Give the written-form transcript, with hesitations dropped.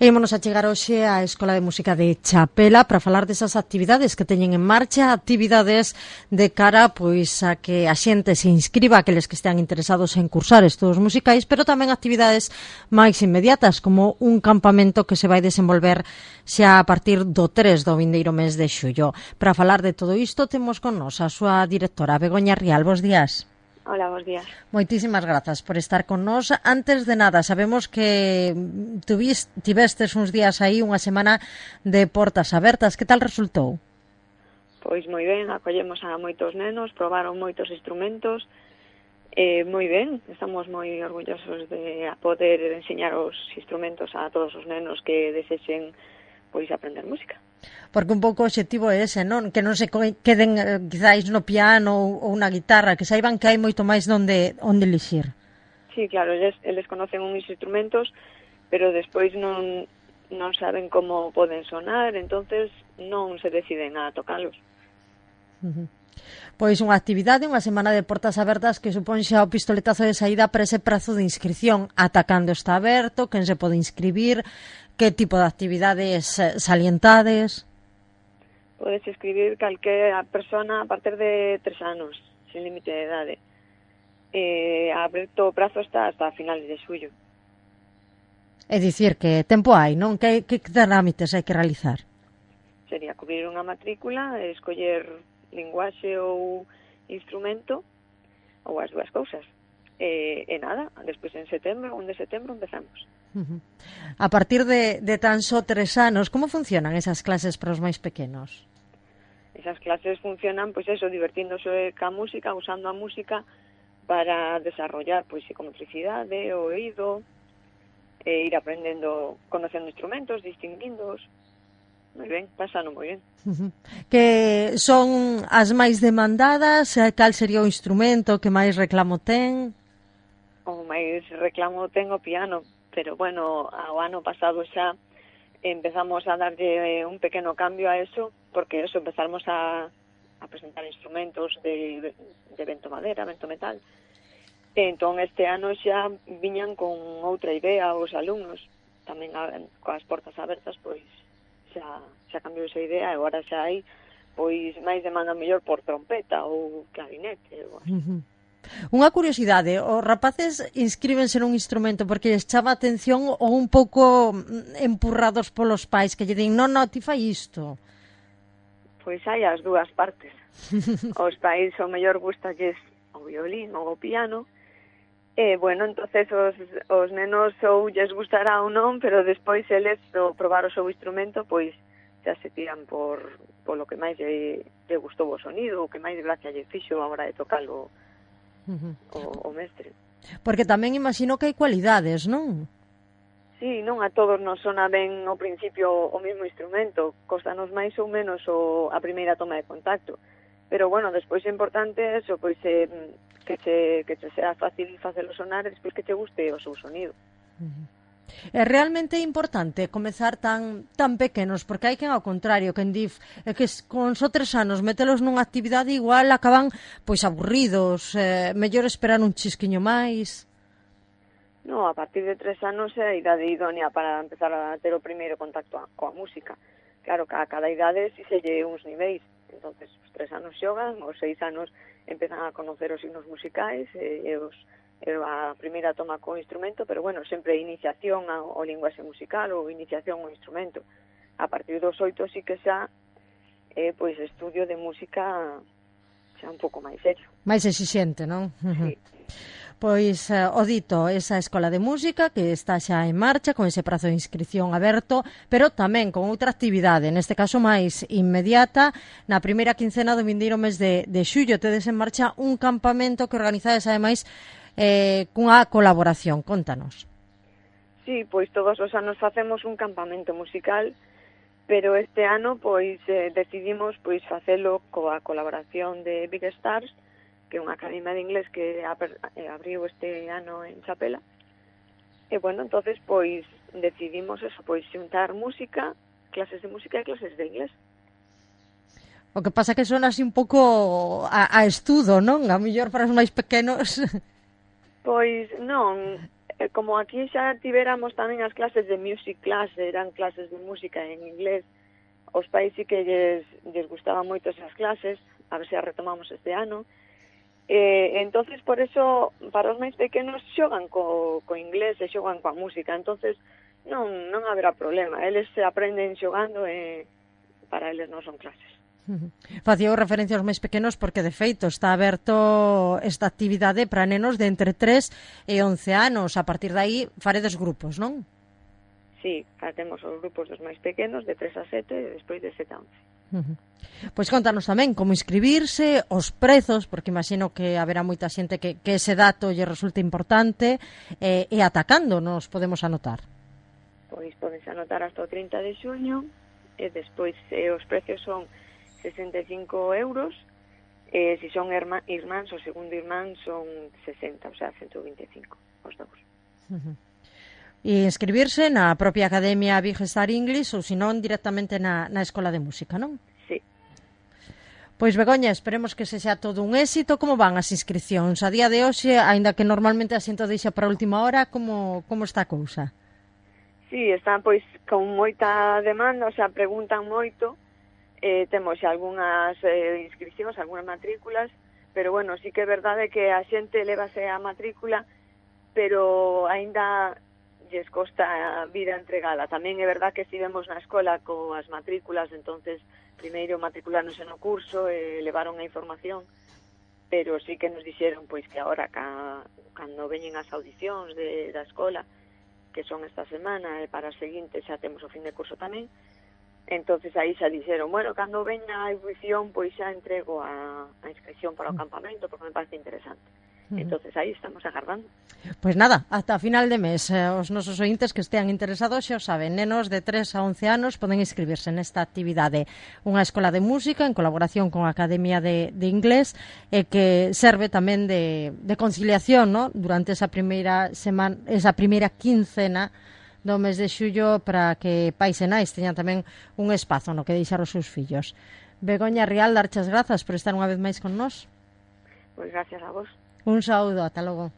E ímonos a chegar hoxe á Escola de Música de Chapela para falar desas actividades que teñen en marcha, actividades de cara pois a que a xente se inscriba, aqueles que estean interesados en cursar estudos musicais, pero tamén actividades máis inmediatas, como un campamento que se vai desenvolver xa a partir do 3 do vindeiro mes de xullo. Para falar de todo isto temos con nos a súa directora, Begoña Rial. Bos días. Hola, bons días. Moitísimas grazas por estar con nós. Antes de nada, sabemos que tivestes uns días aí, unha semana de portas abertas. Que tal resultou? Pois moi ben, acollemos a moitos nenos, probaron moitos instrumentos, moi ben, estamos moi orgullosos de poder enseñar os instrumentos a todos os nenos que desexen pois aprender música. Porque un pouco o obxectivo é ese, non? Que non se queden quizáis no piano ou na guitarra, que saiban que hai moito máis onde elixir. Sí, claro, eles conocen uns instrumentos, pero despois non saben como poden sonar, entonces non se deciden a tocalos. Pois unha actividade, unha semana de portas abertas que supón xa o pistoletazo de saída para ese prazo de inscripción. Ata cando está aberto, quen se pode inscribir, que tipo de actividades salientades? Podes inscribir calquera persona a partir de 3 anos, sin límite de idade. Aberto o prazo está hasta finales de xullo. É dicir, que tempo hai, non? Que trámites hai que realizar? Sería cubrir unha matrícula, escoller linguaxe ou instrumento, ou as dúas cousas. E nada, despois en setembro, 1 de setembro, empezamos. A partir de tan só 3 anos, como funcionan esas clases para os máis pequenos? Esas clases funcionan, pois eso, divertíndose ca música, usando a música para desarrollar, pois, psicomotricidade, o oído, ir aprendendo, conocendo instrumentos, distinguindos. Moi ben, pasano moi ben. Que son as máis demandadas? Cal sería o instrumento que máis reclamo ten? O máis reclamo ten o piano, pero bueno, ao ano pasado xa empezamos a darlle un pequeno cambio a eso, porque eso, empezamos a presentar instrumentos de vento madera, vento metal. Entón, este ano xa viñan con outra idea os alumnos, tamén coas portas abertas, pois xa cambiou esa idea, e agora xa hai pois máis demanda mellor por trompeta ou clarinete. Unha curiosidade, os rapaces inscríbense nun instrumento porque lles chama a atención ou un pouco empurrados polos pais que lle din, non, ti fai isto? Pois hai as dúas partes. Os pais o mellor gustalles o violín ou o piano, e, bueno, entonces os nenos ou lles gustará ou non, pero despois eles, ao probar o seu instrumento, pois xa se tiran polo que máis lle gustou o sonido, o que máis gracia lle fixo a hora de tocalo o mestre. Porque tamén imagino que hai cualidades, non? Sí, non a todos nos sona ben ao principio o mesmo instrumento, costanos máis ou menos a primeira toma de contacto. Pero, bueno, despois é importante eso, pois que che sea fácil facelo sonar e despois que che guste o seu sonido. É realmente importante comezar tan pequenos, porque hai quen ao contrario, quen di que con só 3 anos metelos nunha actividade igual acaban pois aburridos, mellor esperar un chisquiño máis. No, a partir de 3 anos é a idade idónea para empezar a ter o primeiro contacto coa música. Claro, que a cada idade si se lle uns niveis, entonces os 3 anos xogan, os 6 anos empezan a conocer os signos musicais e a primeira toma co instrumento, pero bueno, sempre iniciación ao linguaxe musical ou iniciación ao instrumento. A partir dos 8 sí que xa pois estudio de música xa un pouco máis serio. Mais exixente, non? Sí. Pois o dito, esa escola de música que está xa en marcha con ese prazo de inscripción aberto, pero tamén con outra actividade, neste caso máis inmediata, na primeira quincena do vindeiro mes de xullo tedes en marcha un campamento que organizades ademais cunha colaboración. Contanos. Sí, pois todos os anos facemos un campamento musical, pero este ano pois decidimos pois facelo coa colaboración de Big Stars, que é unha academia de inglés que abriu este ano en Chapela. E, bueno, entonces, pois, decidimos eso, pois, xuntar música, clases de música e clases de inglés. O que pasa que son así un pouco a estudo, non? A mellor para os máis pequenos. Pois non, como aquí xa tivéramos tamén as clases de music class, eran clases de música en inglés, os pais sí que lles gustaban moito esas clases, a ver se as retomamos este ano. Entonces, por eso, para os máis pequenos xogan co inglés e xogan coa música, entonces non haberá problema, eles se aprenden xogando e para eles non son clases. Facía referencia aos máis pequenos porque, de feito, está aberto esta actividade para nenos de entre 3 e 11 anos. A partir de aí, faredes grupos, non? Sí, temos os grupos dos máis pequenos, de 3 a 7, e despois de 7 a 11. Pois contanos tamén como inscribirse, os prezos, porque imagino que haberá moita xente que ese dato lle resulta importante, e atacando nos podemos anotar. Pois podense anotar hasta o 30 de xuño, e despois os precios son 65 euros, se son irmáns, o segundo irmán son 60, o sea, 125 os dous. E inscribirse na propia Academia Big Star English ou senón directamente na Escola de Música, non? Sí. Pois Begoña, esperemos que sexa todo un éxito. Como van as inscripcións? A día de hoxe, aínda que normalmente a xente deixa para a última hora, como está a cousa? Sí, están pois con moita demanda, o sea, preguntan moito. Temos xa algunhas inscripcións, algunhas matrículas, pero bueno, sí que é verdade que a xente levase a matrícula, pero aínda lles costa a vida entregala. Tamén é verdade que estivemos na escola coas matrículas, entonces primeiro matriculáronse no curso e levaron a información, pero sí que nos dixeron pois que agora cando veñen as audicións da escola, que son esta semana, e para a seguinte xa temos o fin de curso tamén, entonces aí xa dixeron, bueno, cando veña a audición, pois xa entrego a inscripción para o campamento, porque me parece interesante. Entonces aí estamos agardando. Pois nada, ata a final de mes os nosos ointes que estean interesados xa o saben, nenos de 3 a 11 anos poden inscribirse nesta actividade, unha escola de música en colaboración con a Academia de Inglés, e que serve tamén de conciliación, ¿no?, durante esa primeira semana, esa primeira quincena do mes de xullo, para que pais e nais teñan tamén un espazo no que deixar os seus fillos. Begoña Rial, darchas grazas por estar unha vez máis con nós. Pois gracias a vos. Un saúdo, ata logo.